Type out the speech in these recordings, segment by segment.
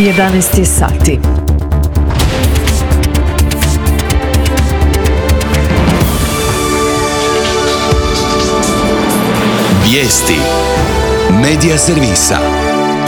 11 sati. Vijesti Medija servisa.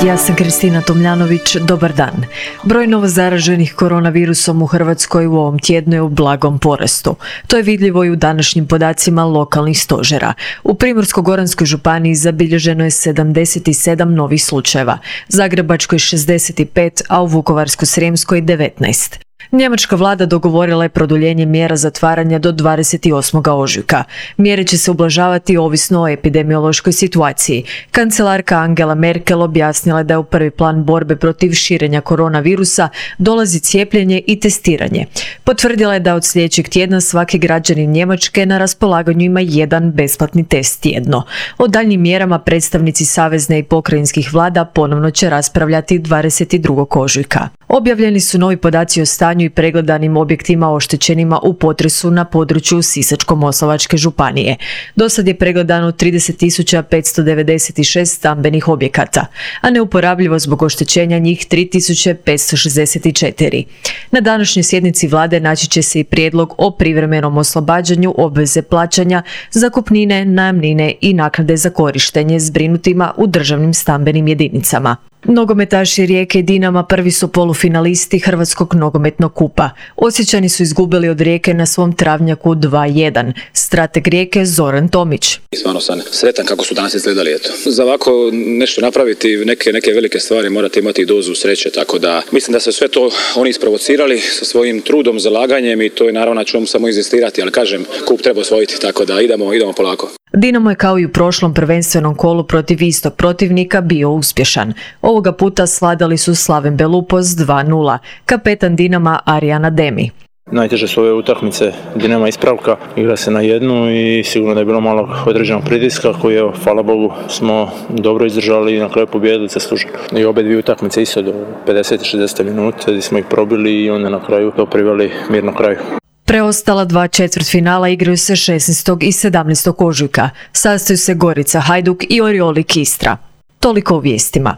Ja sam Kristina Tomljanović, dobar dan. Broj novozaraženih koronavirusom u Hrvatskoj u ovom tjednu je u blagom porastu. To je vidljivo i u današnjim podacima lokalnih stožera. U Primorsko-goranskoj županiji zabilježeno je 77 novih slučajeva, Zagrebačkoj 65, a u Vukovarsko-srijemskoj 19. Njemačka vlada dogovorila je produljenje mjera zatvaranja do 28. ožujka. Mjere će se ublažavati ovisno o epidemiološkoj situaciji. Kancelarka Angela Merkel objasnila je da je u prvi plan borbe protiv širenja koronavirusa dolazi cijepljenje i testiranje. Potvrdila je da od sljedećeg tjedna svaki građanin Njemačke na raspolaganju ima jedan besplatni test tjedno. O daljnjim mjerama predstavnici savezne i pokrajinskih vlada ponovno će raspravljati 22. ožujka. Objavljeni su novi podaci o stanju i pregledanim objektima oštećenima u potresu na području Sisačko-moslavačke županije. Dosad je pregledano 30.596 stambenih objekata, a neuporabljivo zbog oštećenja njih 3.564. Na današnjoj sjednici vlade naći će se i prijedlog o privremenom oslobađanju obveze plaćanja zakupnine, najamnine i naknade za korištenje zbrinutima u državnim stambenim jedinicama. Nogometaši Rijeke i Dinama prvi su polufinalisti Hrvatskog nogometnog kupa. Osječani su izgubili od Rijeke na svom travnjaku 2:1. Strateg Rijeke Zoran Tomić. Stvarno sam sretan kako su danas izgledali. Za ovako nešto napraviti, neke velike stvari morate imati dozu sreće, tako da mislim da se sve to oni isprovocirali sa svojim trudom, zalaganjem i to je naravno na čemu samo inzistirati, ali kažem, kup treba osvojiti, tako da idemo polako. Dinamo je kao i u prošlom prvenstvenom kolu protiv istog protivnika bio uspješan. Ovoga puta svladali su Slaven Belupos 2:0, kapetan Dinama Arijan Ademi. Najteže su ove utakmice, Dinama ispravka, igra se na jednu i sigurno da je bilo malo određenog pritiska koji je, hvala Bogu, smo dobro izdržali i na kraju pobijedili zasluženo. I obe dvije utakmice isto do 50 i 60 minuta gdje smo ih probili i onda na kraju to priveli mirno kraju. Preostala dva četvrtfinala igraju se 16. i 17. ožujka. Sastaju se Gorica Hajduk i Oriolik Istra. Toliko u vijestima.